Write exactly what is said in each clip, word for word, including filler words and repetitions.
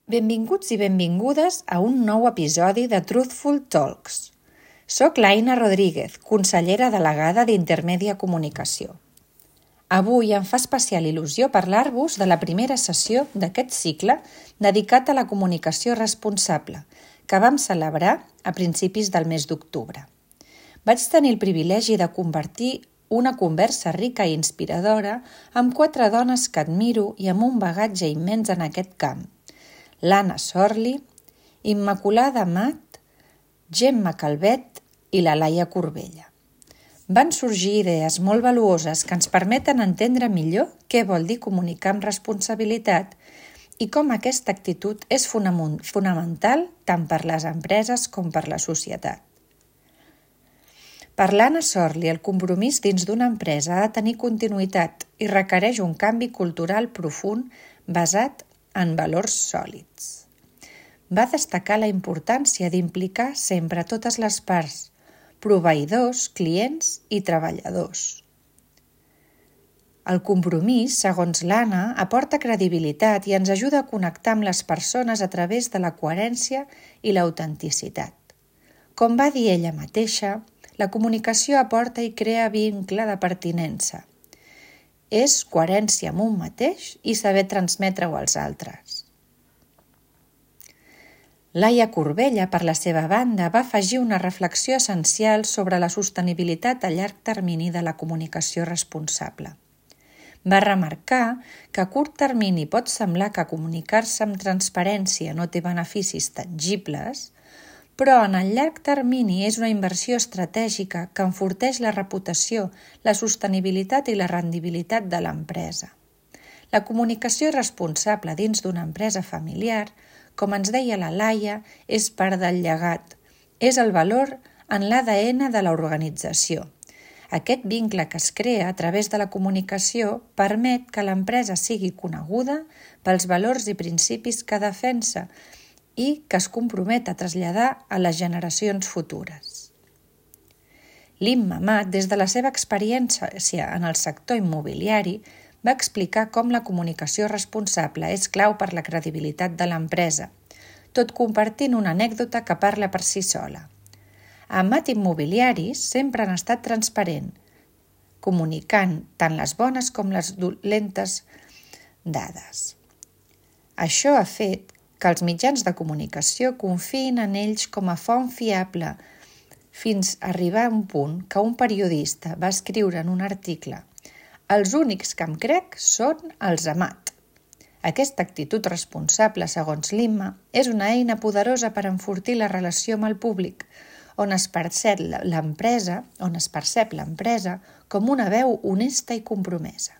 Benvinguts i benvingudes a un nou episodi de Truthful Talks. Soc l'Aina Rodríguez, consellera delegada d'Intermèdia Comunicació. Avui em fa especial il·lusió parlar-vos de la primera sessió d'aquest cicle dedicat a la comunicació responsable, que vam celebrar a principis del mes d'octubre. Vaig tenir el privilegi de compartir una conversa rica i inspiradora amb quatre dones que admiro i amb un bagatge immens en aquest camp. l'Anna Sorli, Immaculada Amat, Gemma Calvet i la Laia Corbella. Van sorgir idees molt valuoses que ens permeten entendre millor què vol dir comunicar amb responsabilitat i com aquesta actitud és fonamental tant per les empreses com per la societat. Per l'Anna Sorli, el compromís dins d'una empresa ha de tenir continuïtat i requereix un canvi cultural profund basat en valors sòlids. Va destacar la importància d'implicar sempre totes les parts, proveïdors, clients i treballadors. El compromís, segons l'Anna, aporta credibilitat i ens ajuda a connectar amb les persones a través de la coherència i l'autenticitat. Com va dir ella mateixa, la comunicació aporta i crea vincle de pertinença. És coherència amb un mateix i saber transmetre-ho als altres. Laia Corbella, per la seva banda, va afegir una reflexió essencial sobre la sostenibilitat a llarg termini de la comunicació responsable. Va remarcar que a curt termini pot semblar que comunicar-se amb transparència no té beneficis tangibles, però en el llarg termini és una inversió estratègica que enforteix la reputació, la sostenibilitat i la rendibilitat de l'empresa. La comunicació responsable dins d'una empresa familiar, com ens deia la Laia, és part del llegat. És el valor en l'A D N de l'organització. Aquest vincle que es crea a través de la comunicació permet que l'empresa sigui coneguda pels valors i principis que defensa i que es compromet a traslladar a les generacions futures. L'Imma Amat, des de la seva experiència en el sector immobiliari, va explicar com la comunicació responsable és clau per la credibilitat de l'empresa, tot compartint una anècdota que parla per si sola. A Amat Immobiliaris sempre han estat transparent, comunicant tant les bones com les dolentes dades. Això ha fet que els mitjans de comunicació confiïn en ells com a font fiable fins a arribar a un punt que un periodista va escriure en un article «Els únics que em crec són els Amat». Aquesta actitud responsable, segons l'Imma, és una eina poderosa per enfortir la relació amb el públic, on es percep l'empresa, on es percep l'empresa com una veu honesta i compromesa.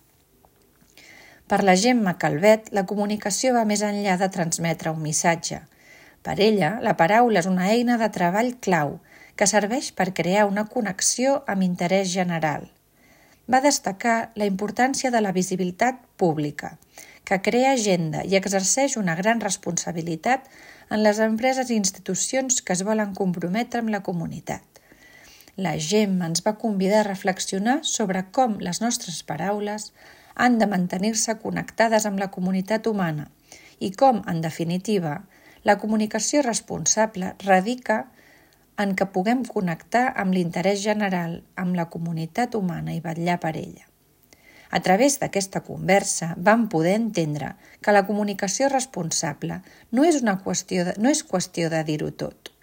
Per la Gemma Calvet, la comunicació va més enllà de transmetre un missatge. Per ella, la paraula és una eina de treball clau que serveix per crear una connexió amb interès general. Va destacar la importància de la visibilitat pública, que crea agenda i exerceix una gran responsabilitat en les empreses i institucions que es volen comprometre amb la comunitat. La Gemma ens va convidar a reflexionar sobre com les nostres paraules han de mantenir-se connectades amb la comunitat humana i com, en definitiva, la comunicació responsable radica en que puguem connectar amb l'interès general, amb la comunitat humana i vetllar per ella. A través d'aquesta conversa vam poder entendre que la comunicació responsable no és una qüestió de, no és qüestió de dir-ho tot,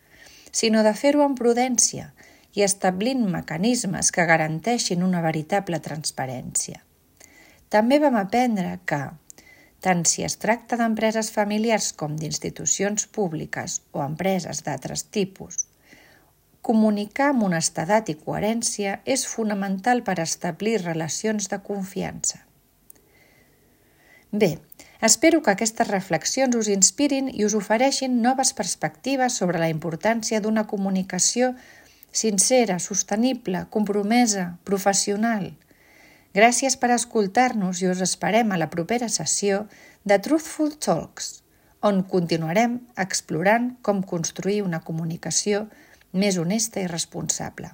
sinó de fer-ho amb prudència i establint mecanismes que garanteixin una veritable transparència. També vam aprendre que, tant si es tracta d'empreses familiars com d'institucions públiques o empreses d'altres tipus, comunicar amb honestedat i coherència és fonamental per establir relacions de confiança. Bé, espero que aquestes reflexions us inspirin i us ofereixin noves perspectives sobre la importància d'una comunicació sincera, sostenible, compromesa, professional. Gràcies per escoltar-nos i us esperem a la propera sessió de Truthful Talks, on continuarem explorant com construir una comunicació més honesta i responsable.